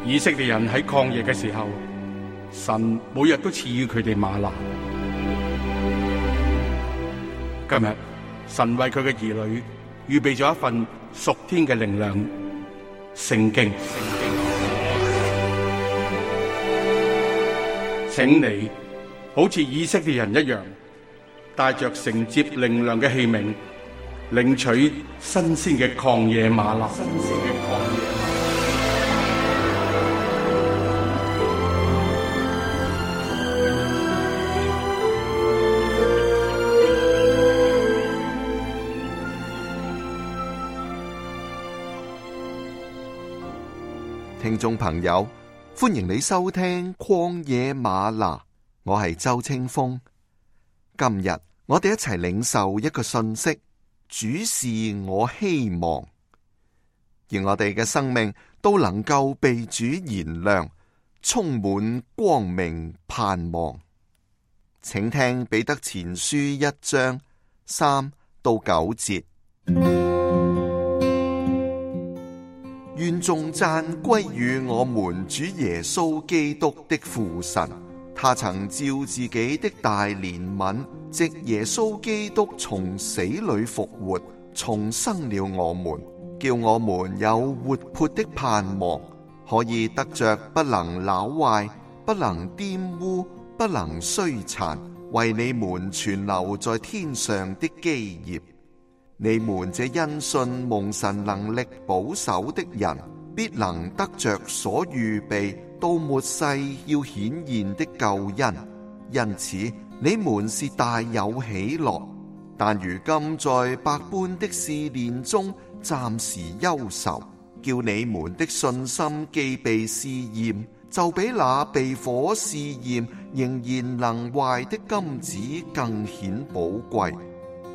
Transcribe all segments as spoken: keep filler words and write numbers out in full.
以色列人喺曠野嘅時候，神每日都賜予佢哋嗎哪。今日神為佢嘅兒女預備咗一份屬天嘅靈糧——聖經。請你好似以色列人一樣，帶着承接靈糧嘅器皿，領取新鮮嘅曠野嗎哪。新鮮嘅曠野嗎哪。聽眾朋友，歡迎你收聽曠野嗎哪，我係周清風。今日我哋一齊領受一個信息，主是我希望，而我哋嘅生命都能夠被主燃亮，充滿光明盼望。請聽彼得前書一章三到九節。願頌讚歸於我們主耶穌基督的父神，他曾照自己的大憐憫，藉耶穌基督從死裏復活，重生了我們，叫我們有活潑的盼望，可以得着不能朽壞、不能玷污、不能衰殘，為你們存留在天上的基業。你們這因信蒙神能力保守的人，必能得着所預備到末世要顯現的救恩。因此你們是大有喜樂，但如今在百般的試煉中暫時憂愁，叫你們的信心既被試驗，就比那被火試驗仍然能壞的金子更顯寶貴，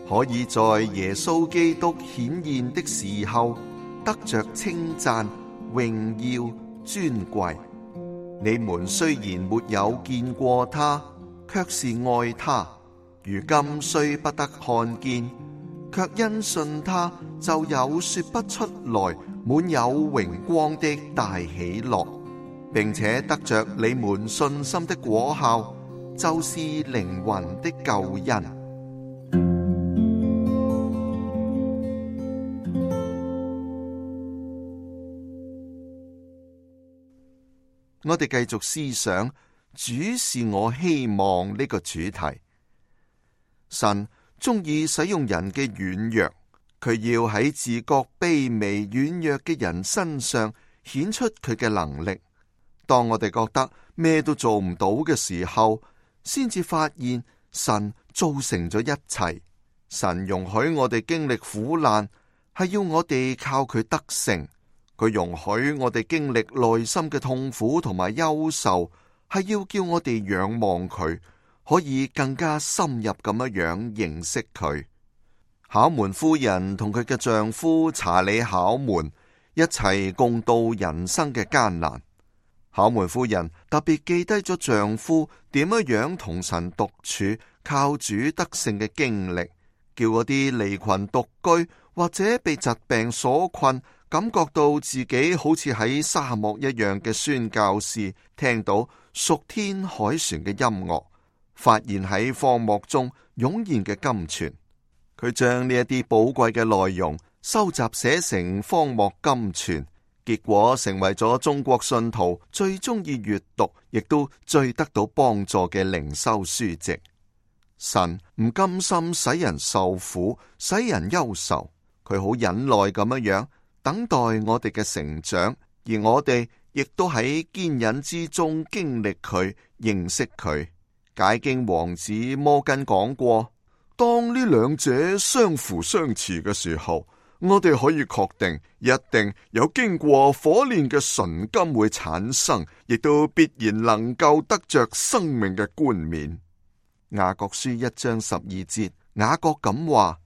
可以在耶穌基督顯現的時候得着稱讚、榮耀、尊貴。你們雖然沒有見過他，卻是愛他；如今雖不得看見，卻因信他，就有說不出來、滿有榮光的大喜樂，並且得着你們信心的果效，就是靈魂的救恩。我哋繼續思想主是我希望呢個主題。神鍾意使用人嘅軟弱，佢要喺自覺卑微軟弱嘅人身上顯出佢嘅能力。當我哋覺得咩都做唔到嘅時候，先至發現神造成咗一切。神容許我哋經歷苦難，係要我哋靠佢得勝。佢容許我哋經歷內心嘅痛苦同埋憂愁，係要叫我哋仰望佢，可以更加深入咁樣樣認識佢。考門夫人同佢嘅丈夫查理考門一齊共度人生嘅艱難。考門夫人特別記低咗丈夫點樣樣同神獨處、靠主得勝嘅經歷，叫嗰啲離群獨居或者被疾病所困，感覺到自己好似喺沙漠一樣嘅宣教士，聽到屬天海船嘅音樂，發現喺荒漠中湧現嘅金泉。佢將呢一啲寶貴嘅內容收集寫成《荒漠金泉》，結果成為咗中國信徒最中意閱讀，亦都最得到幫助嘅靈修書籍。神唔甘心使人受苦，使人憂愁，佢好忍耐咁樣樣等待我哋嘅成長，而我哋亦都喺堅忍之中經歷佢、認識佢。解經王子摩根講過，當呢兩者相輔相持嘅時候，我哋可以確定一定有經過火煉嘅純金會產生，亦都必然能夠得着生命嘅冠冕。雅各書一章十二節，雅各咁話：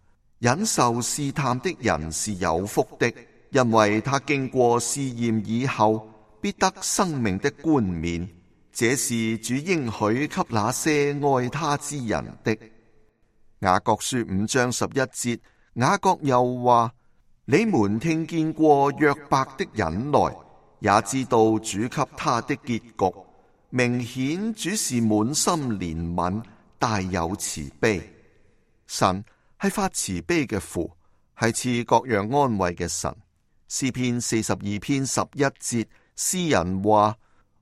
忍受試探的人是有福的，因為他經過試驗以後，必得生命的冠冕。這是主應許給那些愛他之人的。雅各書五章十一節，雅各又話：你們聽見過約伯的忍耐，也知道主給他的結局。明顯主是滿心憐憫，大有慈悲。神係發慈悲嘅父，係賜各樣安慰嘅神。詩篇四十二篇十一節，詩人話：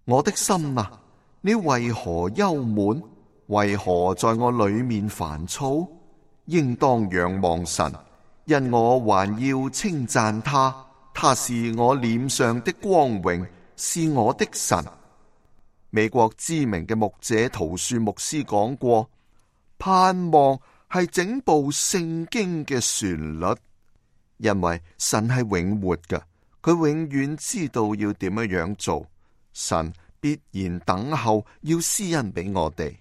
我的心啊，你為何憂悶？為何在我裏面煩躁？應當仰望神，因我還要稱讚他。他是我臉上的光榮，是我的神。美國知名嘅牧者陶恕牧師講過，盼望係整部聖經嘅旋律，因為神係永活嘅，佢永遠知道要點樣樣做。神必然等候要施恩俾我哋。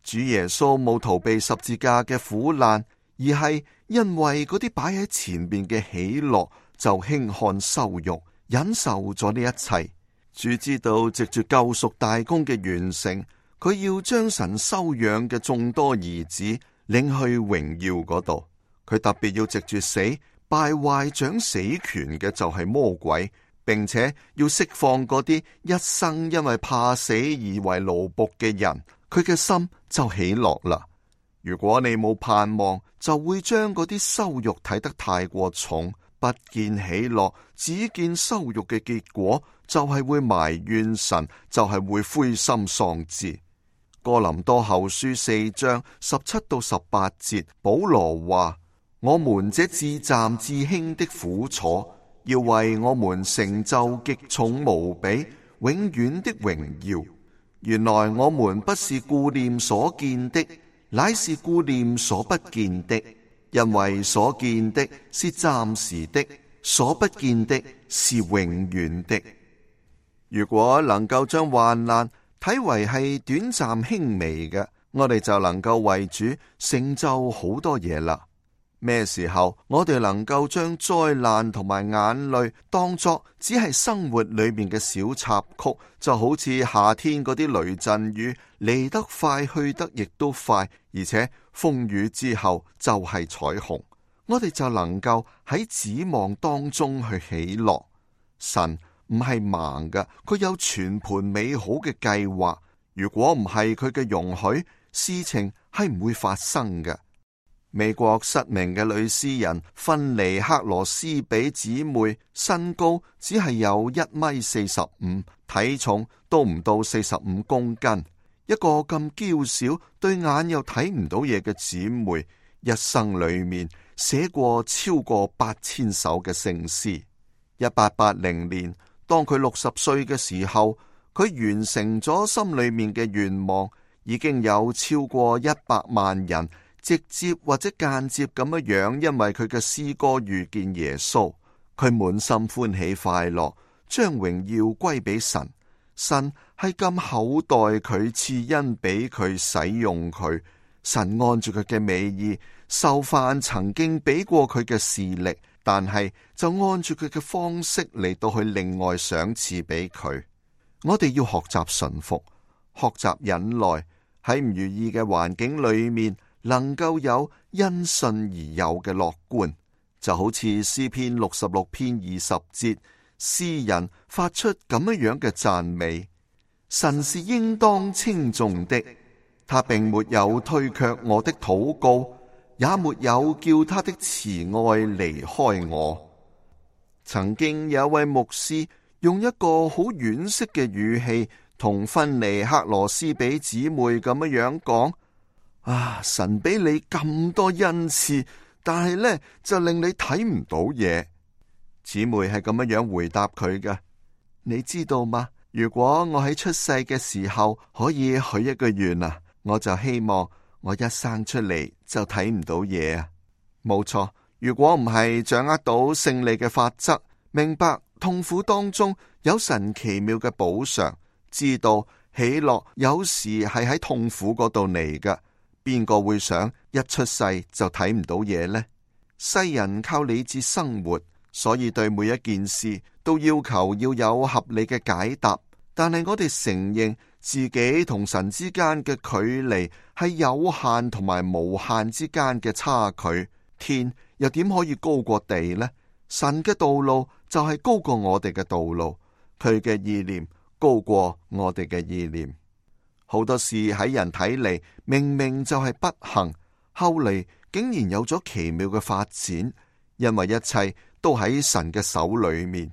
主耶穌冇逃避十字架嘅苦難，而係因為嗰啲擺喺前邊嘅喜樂，就輕看羞辱，忍受咗呢一切。主知道藉住救贖大功嘅完成，佢要將神收養嘅眾多兒子領去榮耀嗰度。佢特別要藉住死敗壞掌死權嘅就係魔鬼，並且要釋放嗰啲一生因為怕死而為奴僕嘅人。佢嘅心就喜樂啦。如果你冇盼望，就會將嗰啲羞辱睇得太過重，不見喜樂，只見羞辱嘅結果就係會埋怨神，就係會灰心喪志。哥林多後書四章十七到十八節，保羅話：我們這至暫至輕的苦楚，要為我們成就極重無比、永遠的榮耀。原來我們不是顧念所見的，乃是顧念所不見的，因為所見的是暫時的，所不見的是永遠的。如果能夠將患難睇為係短暫輕微嘅，我哋就能夠為主成就好多嘢啦。咩時候我哋能夠將災難同埋眼淚當作只係生活裏面嘅小插曲，就好似夏天嗰啲雷陣雨，嚟得快去得亦都快，而且風雨之後就係彩虹，我哋就能夠喺指望當中去喜樂。神唔係盲嘅，佢有全盤美好嘅計劃。如果唔係佢嘅容許，事情係唔會發生嘅。美國失明嘅女詩人芬尼克羅斯比姊妹，身高只係有一米四十五，體重都唔到四十五公斤。一個咁嬌小、對眼又睇唔到嘢嘅姊妹，一生裏面寫過超過八千首嘅聖詩。一八八零年，當佢六十歲嘅時候，佢完成咗心裏面嘅願望，已經有超過一百萬人直接或者間接咁樣樣，因為佢嘅詩歌遇見耶穌，佢滿心歡喜快樂，將榮耀歸俾神。神係咁厚待佢，賜恩俾佢使用佢。神按住佢嘅美意，受犯曾經俾過佢嘅視力，但係就按住佢嘅方式嚟到去另外賞賜俾佢。我哋要學習順服，學習忍耐，喺唔如意嘅環境裏面，能夠有因信而有嘅樂觀，就好似詩篇六十六篇二十節，詩人發出咁樣樣嘅讚美：神是應當稱頌的，他並沒有推卻我的禱告，也沒有叫他的慈愛離開我。曾經有一位牧師用一個好惋惜嘅語氣同芬尼克羅斯比姊妹咁樣樣講：啊，神俾你咁多恩賜，但係呢就令你睇唔到嘢。姊妹係咁樣樣回答佢嘅：你知道嗎？如果我喺出世嘅時候可以許一個願啊，我就希望我一生出嚟就睇唔到嘢啊。冇錯，如果唔係掌握到勝利嘅法則，明白痛苦當中有神奇妙嘅補償，知道喜樂有時係喺痛苦嗰度嚟嘅，邊個會想一出世就睇唔到嘢呢？世人靠理智生活，所以對每一件事都要求要有合理嘅解答。但係我哋承認自己同神之間嘅距離係有限同埋無限之間嘅差距，天又點可以高過地呢？神嘅道路就係高過我哋嘅道路，佢嘅意念高過我哋嘅意念。好多事喺人睇嚟明明就係不幸，後嚟竟然有咗奇妙嘅發展，因為一切都喺神嘅手裏面。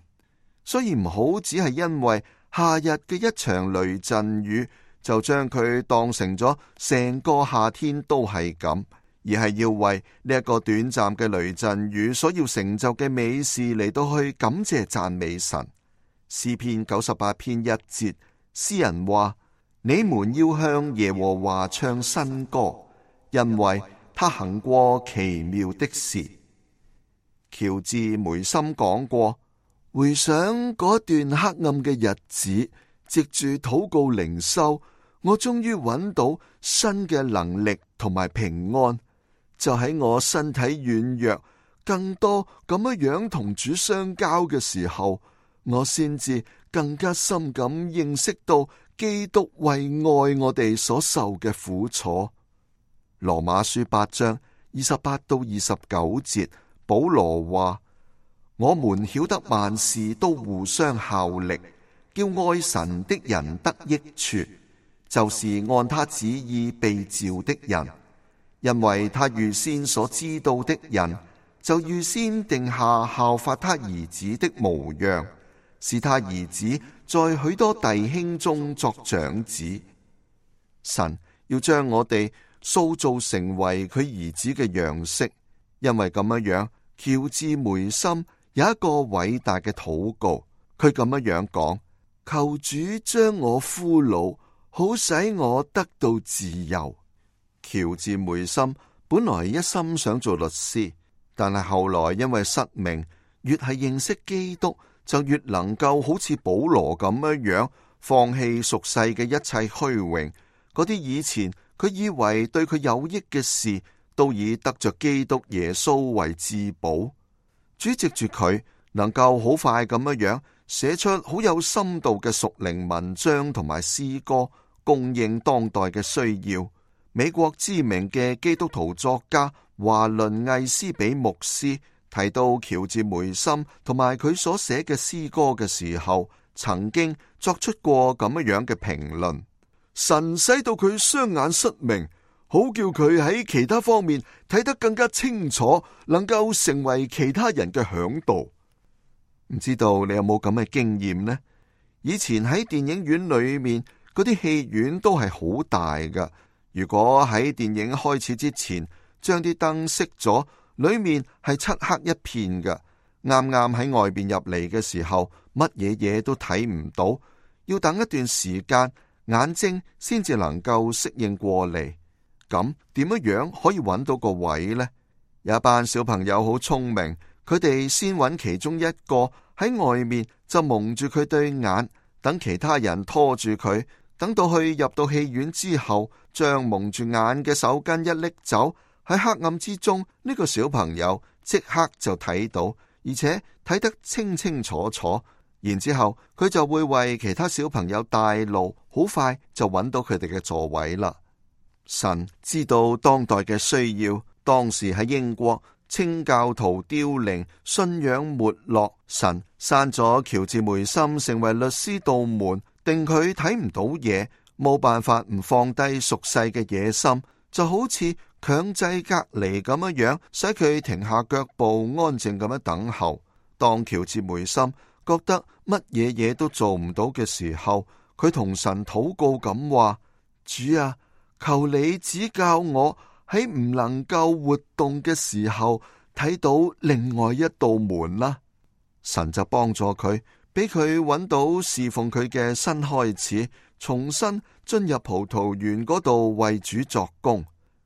所以唔好只係因為夏日嘅一場雷陣雨，就將佢當成咗成個夏天都係咁，而係要為呢一個短暫嘅雷陣雨所要成就嘅美事嚟到去感謝讚美神。詩篇九十八篇一節，詩人話：你們要向耶和華唱新歌，因為他行過奇妙的事。喬治梅森講過，回想嗰段黑暗嘅日子，藉住禱告靈修，我終於揾到新嘅能力同埋平安。就喺我身體軟弱，更多咁樣樣同主相交嘅時候，我先至更加深咁認識到基督為愛我哋所受嘅苦楚。羅馬書八章二十八到二十九節，保羅話：我們曉得萬事都互相效力，叫愛神的人得益處，就是按他旨意被召的人。因為他預先所知道的人，就預先定下效法他兒子的模樣，使他兒子在許多弟兄中作長子。神要將我哋塑造成為佢兒子嘅樣式，因為咁樣樣，喬治梅森有一個偉大嘅禱告，佢咁樣樣講：求主將我俘虜，好使我得到自由。喬治梅森本來一心想做律師，但係後來因為失明，越係認識基督，就越能夠好似保羅咁樣樣，放棄俗世嘅一切虛榮，嗰啲以前佢以為對佢有益嘅事，都以得着基督耶穌為至寶。主藉住佢，能夠好快咁樣樣寫出好有深度嘅屬靈文章同埋詩歌，供應當代嘅需要。美國知名嘅基督徒作家華倫艾斯比牧師提到喬治梅森同埋佢所寫嘅詩歌嘅時候，曾經作出過咁樣嘅評論：神使到佢雙眼失明，好叫佢喺其他方面睇得更加清楚，能夠成為其他人嘅嚮導。唔知道你有冇咁嘅經驗呢？以前喺電影院裏面，嗰啲戲院都係好大㗎。如果喺電影開始之前將啲燈熄咗，裏面係漆黑一片嘅，啱啱喺外邊入嚟嘅時候，乜嘢嘢都睇唔到，要等一段時間，眼睛先至能夠適應過嚟。咁點樣樣可以揾到個位呢？有一班小朋友好聰明，佢哋先揾其中一個喺外面就蒙住佢對眼，等其他人拖住佢。等到去入到戲院之後，將蒙住眼嘅手巾一拎走，喺黑暗之中，呢個小朋友即刻就睇到，而且睇得清清楚楚。然之後佢就會為其他小朋友帶路，好快就揾到佢哋嘅座位啦。神知道當代嘅需要，當時喺英國清教徒凋零，信仰沒落，神刪咗喬治梅森成為律師道門，定佢睇唔到嘢，冇辦法唔放低俗世嘅野心，就好似強制隔離咁樣樣，使佢停下腳步，安靜咁樣等候。當喬治梅森覺得乜嘢嘢都做唔到嘅時候，佢同神禱告咁話：主啊，求你指教我喺唔能夠活動嘅時候睇到另外一道門啦。神就幫助佢，俾佢揾到侍奉佢嘅新開始，重新進入葡萄園嗰度為主作工。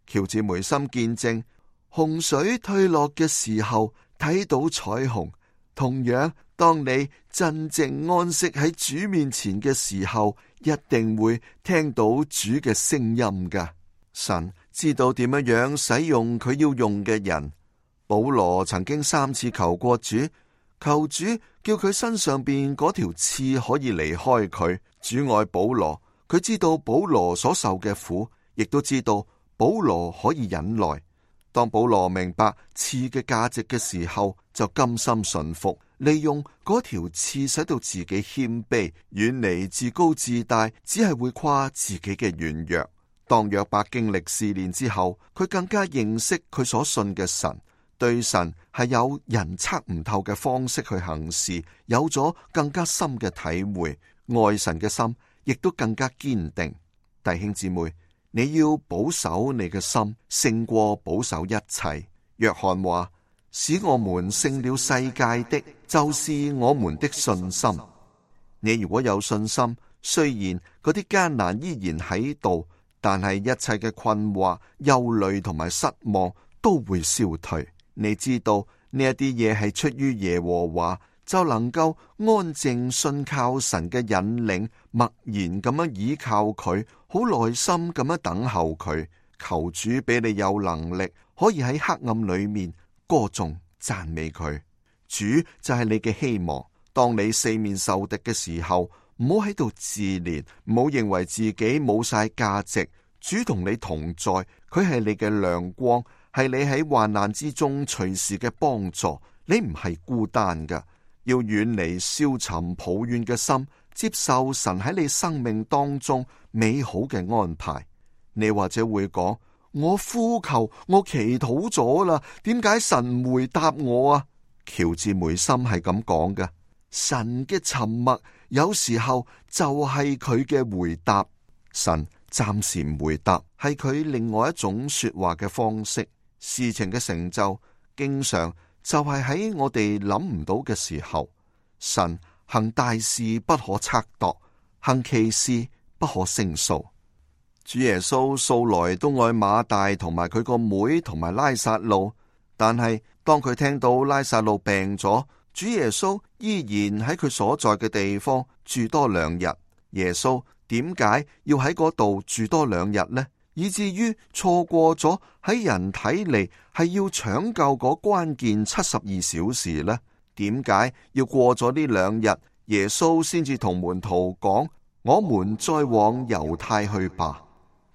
喬治梅森見證洪水退落嘅時候睇到彩虹，同樣當你真正安息喺主面前嘅時候，一定會聽到主嘅聲音㗎。神知道點樣樣使用佢要用嘅人。保羅曾經三次求過主，求主叫佢身上邊嗰條刺可以離開佢。主愛保羅，佢知道保羅所受嘅苦，亦都知道保羅可以忍耐。當保羅明白刺嘅價值嘅時候，就甘心順服，利用嗰條刺使到自己謙卑，遠離自高自大，只係會誇自己嘅軟弱。當約伯經歷試煉之後，佢更加認識佢所信嘅神，對神係有人測唔透嘅方式去行事，有咗更加深嘅體會，愛神嘅心亦都更加堅定。弟兄姊妹，你要保守你嘅心，勝過保守一切。約翰話：使我們勝了世界的，就是我們的信心。你如果有信心，雖然嗰啲艱難依然喺度，但係一切嘅困惑、憂慮同埋失望都會消退。你知道呢一啲嘢係出於耶和華，就能夠安靜信靠神嘅引領，默然咁樣倚靠佢，好耐心咁樣等候佢。求主俾你有能力，可以喺黑暗裏面歌頌讚美佢。主就係你嘅希望。當你四面受敵嘅時候，唔好喺度自憐，唔好認為自己冇晒價值。主同你同在，佢係你嘅亮光，係你喺患難之中隨時嘅幫助。你唔係孤單㗎，要遠離消沉抱怨嘅心，接受神喺你生命當中美好嘅安排。你或者會講：我呼求，我祈禱咗啦，點解神唔回答我啊？喬治梅森係咁講嘅，神嘅沉默有時候就係佢嘅回答。神暫時唔回答，係佢另外一種說話嘅方式。事情嘅成就經常就係喺我哋諗唔到嘅時候。神行大事不可測度，行奇事不可勝數。主耶穌素來都愛馬大同埋佢個妹同埋拉撒路，但係當佢聽到拉撒路病咗，主耶穌依然喺佢所在嘅地方住多兩日。耶穌點解要喺嗰度住多兩日呢？以至於錯過咗喺人睇嚟係要搶救嗰關鍵七十二小時呢？點解要過咗呢兩日，耶穌先至同門徒講：我們再往猶太去吧。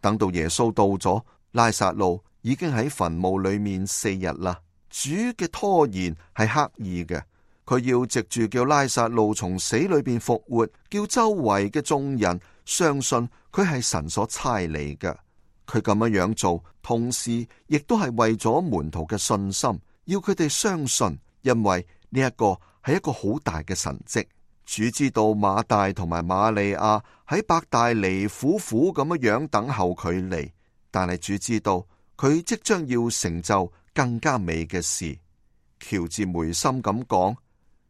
等到耶穌到咗，拉撒路已經喺墳墓裏面四日啦。主嘅拖延係刻意嘅，佢要藉住叫拉撒路從死裏邊復活，叫周圍嘅眾人相信佢係神所差嚟嘅。佢咁樣樣做，同時亦都係為咗門徒嘅信心，要佢哋相信，因為呢一個係一個好大嘅神蹟。主知道馬大同埋瑪利亞喺伯大尼苦苦咁樣樣等候佢嚟，但係主知道佢即將要成就更加美嘅事。喬治梅森咁講：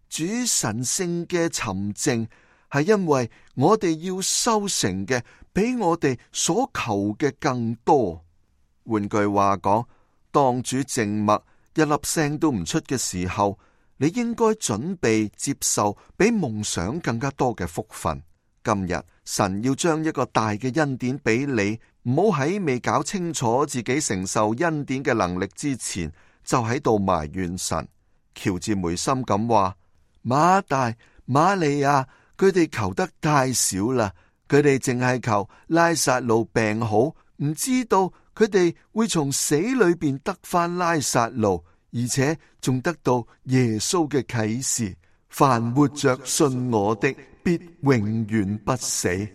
主神聖嘅沉靜係因為我哋要收成嘅比我哋所求嘅更多。換句話講，當主靜默一粒聲都唔出嘅時候，你應該準備接受比夢想更加多嘅福分。今日神要將一個大嘅恩典俾你，唔好喺未搞清楚自己承受恩典嘅能力之前，就喺度埋怨神。喬治梅森咁話：馬大、瑪利亞，佢哋求得太少啦，佢哋淨係求拉撒路病好，唔知道佢哋會從死裏邊得返拉撒路。而且仲得到耶穌嘅啟示，凡活着信我的，必永遠不死。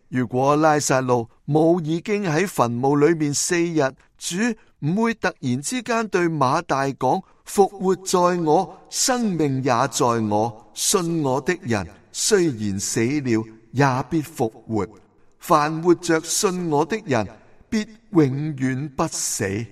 如果拉撒路冇已經喺墳墓裏面四日，主唔會突然之間對馬大講：復活在我，生命也在我，信我的人雖然死了，也必復活。凡活着信我的人，必永遠不死。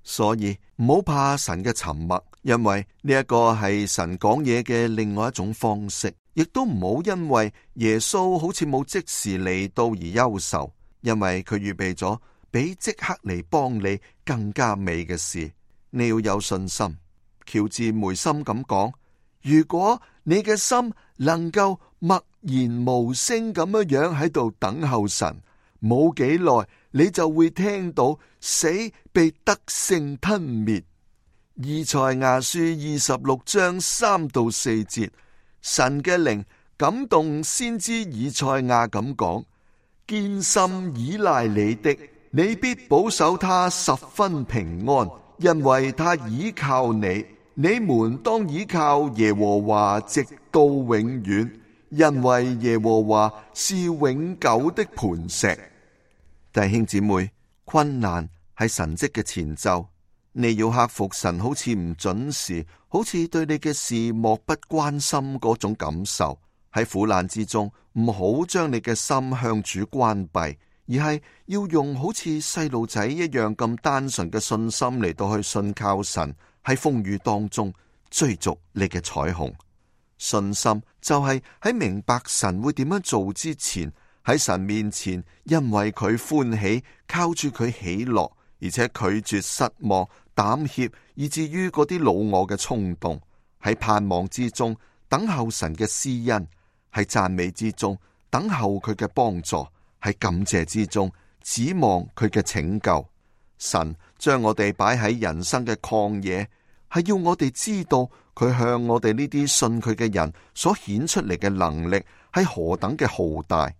所以唔好怕神嘅沉默，因為呢一個係神講嘢嘅另外一種方式。亦都唔好因為耶穌好似冇即時嚟到而憂愁，因為佢預備咗比即刻嚟幫你更加美嘅事。你要有信心。喬治梅森咁講：如果你嘅心能夠默然無聲咁樣樣喺度等候神，冇幾耐你就會聽到死被得勝吞滅。以賽亞書二十六章三到四節，神嘅靈感動先知以賽亞咁講：堅心倚賴你的，你必保守他十分平安，因為他倚靠你。你們當倚靠耶和華直到永遠，因為耶和華是永久的磐石。弟兄姊妹，困難係神蹟嘅前奏，你要克服神好似唔準時，好似對你嘅事漠不關心嗰種感受。喺苦難之中，唔好將你嘅心向主關閉，而係要用好似細路仔一樣咁單純嘅信心嚟到去信靠神。喺風雨當中追逐你嘅彩虹。信心就係喺明白神會點樣做之前，喺神面前因為佢歡喜，靠住佢喜樂，而且拒絕失望、膽怯，以至於嗰啲老我嘅衝動。喺盼望之中等候神嘅施恩，喺讚美之中等候佢嘅幫助，喺感謝之中指望佢嘅拯救。神將我哋擺喺人生嘅曠野，係要我哋知道佢向我哋呢啲信佢嘅人所顯出嚟嘅能力係何等嘅浩大。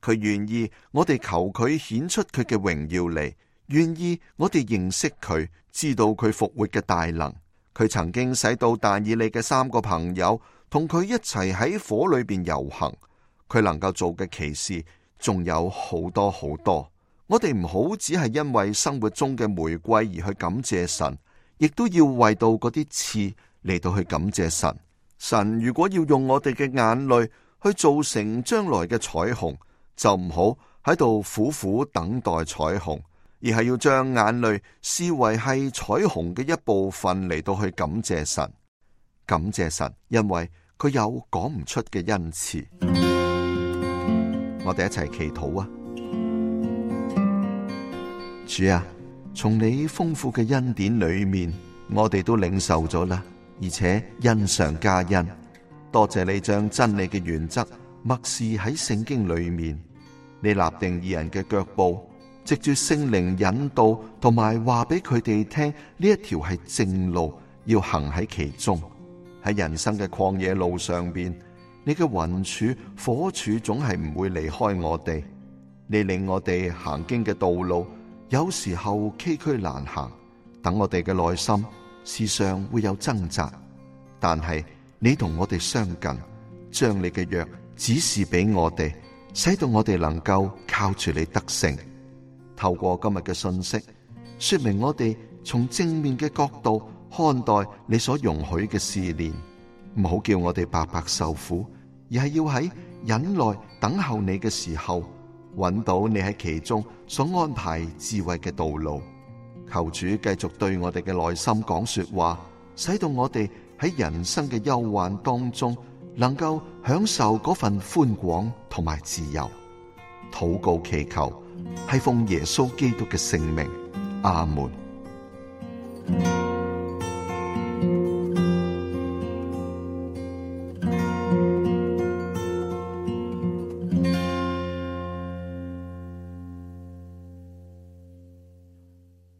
佢願意我哋求佢顯出佢嘅榮耀嚟，願意我哋認識佢，知道佢復活嘅大能。佢曾經使到但以理嘅三個朋友同佢一齊喺火裏邊遊行，佢能夠做嘅奇事仲有好多好多。我哋唔好只係因為生活中嘅玫瑰而去感謝神，亦都要為到嗰啲刺嚟到去感謝神。神如果要用我哋嘅眼淚去造成將來嘅彩虹，就唔好喺度苦苦等待彩虹，而係要將眼淚視為係彩虹嘅一部分嚟到去感謝神。感謝神，因為佢有講唔出嘅恩賜。我哋一齊祈禱啊！主啊，從你豐富嘅恩典裏面，我哋都領受咗啦，而且恩上加恩。多謝你將真理嘅原則默示喺聖經裏面，你立定義人嘅腳步，藉住聖靈引導，同埋話俾佢哋聽呢一條係正路，要行喺其中。喺人生嘅曠野路上邊，你嘅雲柱火柱總係唔會離開我哋。你令我哋行經嘅道路有時候崎嶇難行，等我哋嘅內心時常會有掙扎，但係你同我哋相近，將你嘅約指示俾我哋，使到我哋能夠靠住你得勝。透過今日嘅信息，說明我哋從正面嘅角度看待你所容許嘅試煉，唔好叫我哋白白受苦，而係要喺忍耐等候你嘅時候，揾到你喺其中所安排智慧嘅道路。求主繼續對我哋嘅內心講說話，使到我哋喺人生嘅憂患當中能夠享受嗰份寬廣同埋自由。禱告祈求係奉耶穌基督嘅聖名，阿門。